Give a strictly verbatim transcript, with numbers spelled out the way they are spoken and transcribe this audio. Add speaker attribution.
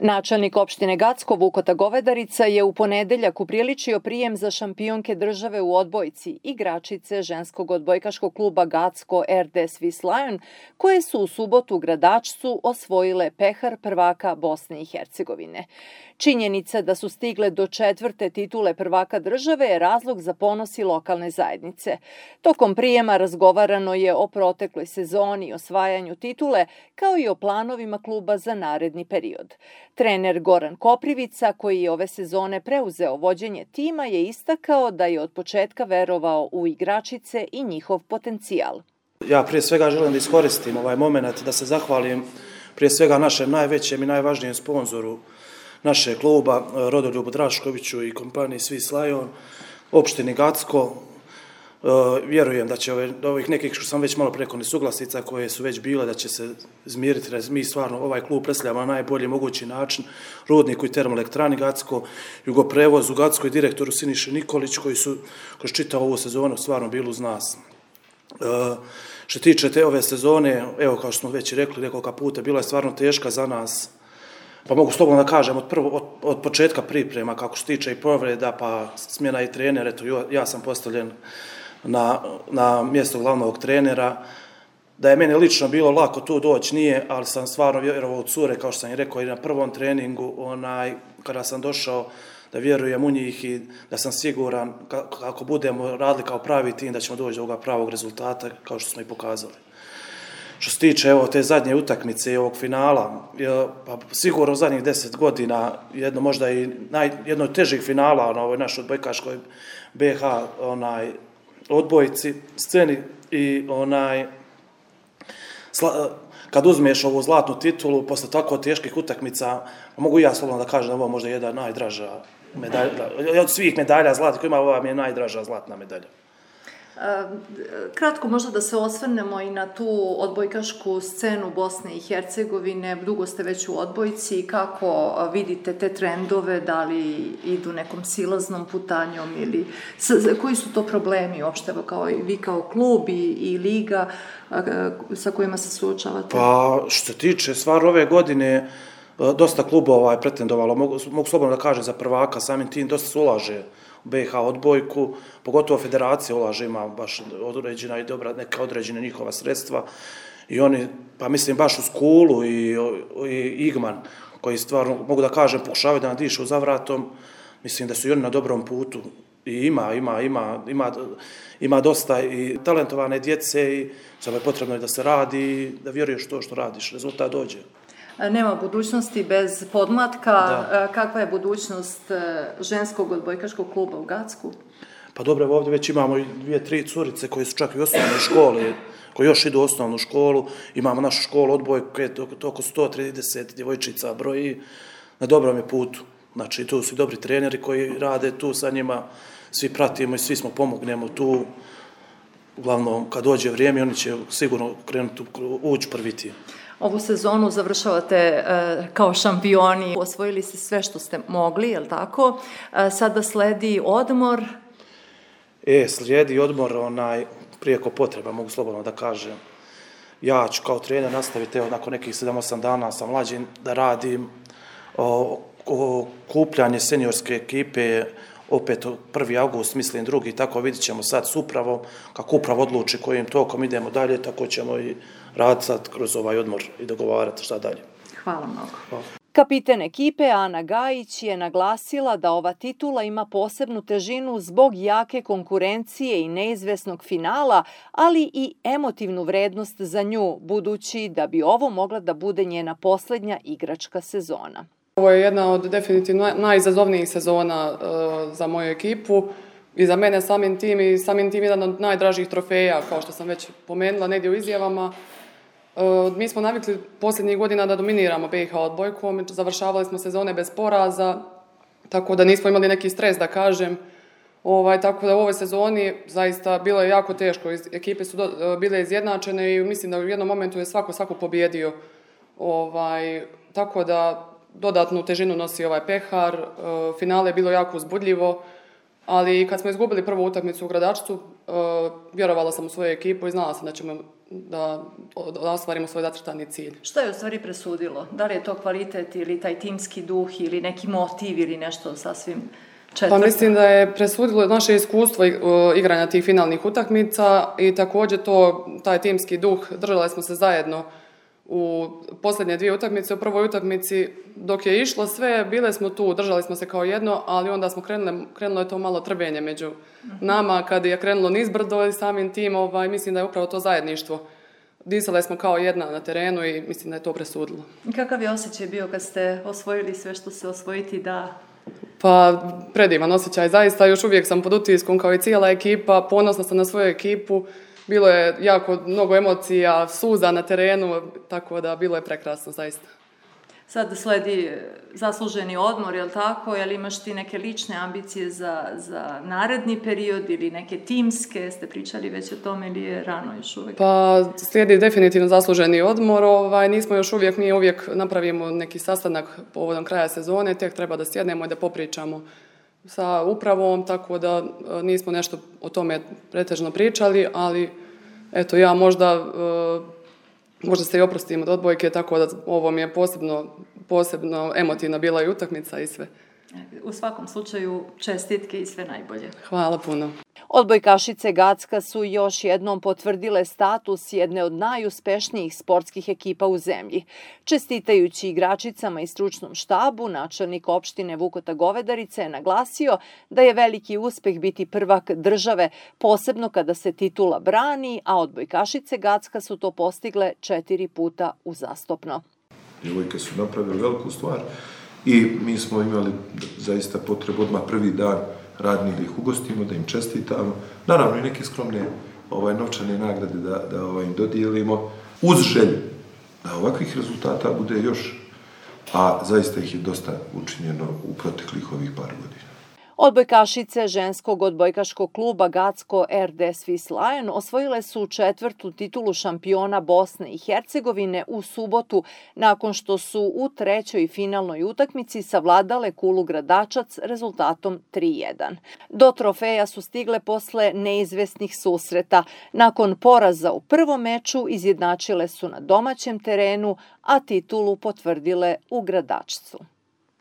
Speaker 1: Načelnik opštine Gacko Vukota Govedarica je u ponedeljak upriličio prijem za šampionke države u odbojci, igračice ženskog odbojkaškog kluba Gacko R D Swiss Lion, koje su u subotu u Gradačcu osvojile pehar prvaka Bosne i Hercegovine. Činjenica da su stigle do četvrte titule prvaka države je razlog za ponos i lokalne zajednice. Tokom prijema razgovarano je o protekloj sezoni, osvajanju titule, kao i o planovima kluba za naredni period. Trener Goran Koprivica, koji je ove sezone preuzeo vođenje tima, je istakao da je od početka verovao u igračice i njihov potencijal.
Speaker 2: Ja prije svega želim da iskoristim ovaj moment da se zahvalim prije svega našem najvećem i najvažnijem sponzoru našeg kluba, Rodoljubu Draškoviću i kompaniji Swiss Lion, opštini Gacko. Vjerujem da će ove, ovih nekih što sam već malo preko nesuglasica koje su već bile, da će se izmiriti. Mi stvarno ovaj klub predstavljamo na najbolji mogući način Rudniku i termoelektrani Gacko, Jugoprevozu Gacko i direktoru Siniši Nikolić, koji su kroz čitavu ovu sezonu stvarno bili uz nas. E, što tiče te ove sezone, evo kao što smo već rekli nekoliko puta, bila je stvarno teška za nas. Pa mogu slobodno da kažem, od, prvo, od, od početka priprema, kako se tiče i povreda, pa smjena i trener, eto, ja sam postavljen na, na mjesto glavnog trenera. Da je meni lično bilo lako tu doći, nije, ali sam stvarno vjerovao u cure, kao što sam i rekao i na prvom treningu, onaj, kada sam došao, da vjerujem u njih i da sam siguran kako budemo radili kao pravi tim, da ćemo doći do ovoga pravog rezultata, kao što smo i pokazali. Što se tiče evo, te zadnje utakmice i ovog finala, pa sigurno u zadnjih deset godina, jedno možda i naj, jedno od težih finala na ovoj našoj odbojkaškoj B H onaj, odbojci, sceni i onaj, sla, kad uzmeš ovu zlatnu titulu, posle tako teških utakmica, mogu i ja slobodno da kažem da ovo možda jedna najdraža medalja, od svih medalja zlatnih koja ima, ova mi je najdraža zlatna medalja.
Speaker 1: Kratko možda da se osvrnemo i na tu odbojkašku scenu Bosne i Hercegovine. Dugo ste već u odbojci. Kako vidite te trendove? Da li idu nekom silaznom putanjom ili koji su to problemi uopšte kao i vi kao klub i, i liga sa kojima se suočavate?
Speaker 2: Pa što tiče stvarno ove godine dosta klubova je pretendovalo, mogu, mogu slobodno da kažem za prvaka, samim tim dosta se ulaže u B H odbojku, pogotovo federacija ulaže, ima baš određena i dobra neka određena njihova sredstva i oni, pa mislim baš u Skulu i, i Igman, koji stvarno, mogu da kažem, pokušavaju da nadišu za vratom, mislim da su i oni na dobrom putu i ima, ima, ima, ima, ima dosta i talentovane djece i samo je potrebno da se radi i da vjeruješ to što radiš, rezultat dođe.
Speaker 1: Nema budućnosti bez podmlatka. Da. Kakva je budućnost ženskog odbojkaškog kluba u Gacku?
Speaker 2: Pa dobro, ovdje već imamo dvije, tri curice koje su čak i u osnovnoj školi, koji još idu u osnovnu školu. Imamo našu školu odbojke, oko sto trideset djevojčica broji, na dobrom je putu. Znači, tu su dobri treneri koji rade tu sa njima, svi pratimo i svi smo pomognemo tu. Uglavnom, kad dođe vrijeme, oni će sigurno krenuti ući prvi tim.
Speaker 1: Ovu sezonu završavate e, kao šampioni, osvojili ste sve što ste mogli, je li tako? E, sada sledi odmor.
Speaker 2: E, slijedi odmor, onaj, prijeko potreba, mogu slobodno da kažem. Ja ću kao trener nastaviti, evo, nakon nekih sedam osam dana sa mlađim da radim o, o kupljanje seniorske ekipe, opet prvi avgust, mislim drugi, tako vidit ćemo sad s upravom, kako upravo odluči kojim tokom idemo dalje, tako ćemo i raditi sad kroz ovaj odmor i dogovarati šta dalje.
Speaker 1: Hvala mnogo.
Speaker 2: Hvala.
Speaker 1: Kapiten ekipe Ana Gajić je naglasila da ova titula ima posebnu težinu zbog jake konkurencije i neizvesnog finala, ali i emotivnu vrednost za nju, budući da bi ovo mogla da bude njena posljednja igračka sezona.
Speaker 3: Ovo je jedna od definitivno najizazovnijih sezona uh, za moju ekipu i za mene samim tim i samim tim jedan od najdražih trofeja, kao što sam već pomenula negdje u izjavama. Uh, mi smo navikli posljednjih godina da dominiramo B H odbojkom, završavali smo sezone bez poraza, tako da nismo imali neki stres, da kažem. Ovaj, tako da u ovoj sezoni zaista bilo je jako teško, ekipe su do, uh, bile izjednačene i mislim da u jednom momentu je svako svako pobjedio. Ovaj, tako da dodatnu težinu nosi ovaj pehar, finale je bilo jako uzbudljivo, Ali kad smo izgubili prvu utakmicu u Gradačcu, uh, vjerovala sam u svoju ekipu i znala sam da ćemo da, da ostvarimo svoj zacrtani cilj.
Speaker 1: Što je u stvari presudilo? Da li je to kvalitet ili taj timski duh ili neki motiv ili nešto sasvim četvrto?
Speaker 3: Pa mislim da je presudilo naše iskustvo igranja tih finalnih utakmica i također to, taj timski duh, držali smo se zajedno u posljednje dvije utakmice. U prvoj utakmici dok je išlo sve, bile smo tu, držali smo se kao jedno, ali onda smo krenuli, krenulo je to malo trbenje među nama kad je krenulo nizbrdo i samim tim, ovaj, mislim da je upravo to zajedništvo. Disale smo kao jedna na terenu i mislim da je to presudilo.
Speaker 1: I kakav je osjećaj bio kad ste osvojili sve što se osvojiti da...
Speaker 3: Pa predivan osjećaj, zaista još uvijek sam pod utiskom kao i cijela ekipa, ponosna sam na svoju ekipu, bilo je jako mnogo emocija, suza na terenu, tako da bilo je prekrasno zaista.
Speaker 1: Sad sledi zasluženi odmor, je li tako? Je li imaš ti neke lične ambicije za, za naredni period ili neke timske? Ste pričali već o tome ili je rano još uvijek?
Speaker 3: Pa slijedi definitivno zasluženi odmor. Ovaj, nismo još uvijek, mi uvijek napravimo neki sastanak povodom kraja sezone, tek treba da sjednemo i da popričamo sa upravom, tako da nismo nešto o tome pretežno pričali, ali eto ja možda... Možda se i oprostim od odbojke, tako da ovo mi je posebno, posebno emotivna bila i utakmica i sve.
Speaker 1: U svakom slučaju čestitke i sve najbolje.
Speaker 3: Hvala puno.
Speaker 1: Odbojkašice Gacka su još jednom potvrdile status jedne od najuspešnijih sportskih ekipa u zemlji. Čestitajući igračicama i stručnom štabu, načelnik opštine Vukota Govedarice je naglasio da je veliki uspeh biti prvak države, posebno kada se titula brani, a odbojkašice Gacka su to postigle četiri puta uzastopno.
Speaker 4: Djevojke su napravili veliku stvar i mi smo imali zaista potrebu odmah prvi dan radni da ih ugostimo, da im čestitamo. Naravno i neke skromne ovaj, novčane nagrade da, da ovaj, im dodijelimo uz želju da ovakvih rezultata bude još, a zaista ih je dosta učinjeno u proteklih ovih par godina.
Speaker 1: Odbojkašice ženskog odbojkaškog kluba Gacko R D Swiss Lion osvojile su četvrtu titulu šampiona Bosne i Hercegovine u subotu, nakon što su u trećoj finalnoj utakmici savladale Kulu Gradačac rezultatom tri jedan. Do trofeja su stigle posle neizvesnih susreta. Nakon poraza u prvom meču izjednačile su na domaćem terenu, a titulu potvrdile u Gradačcu.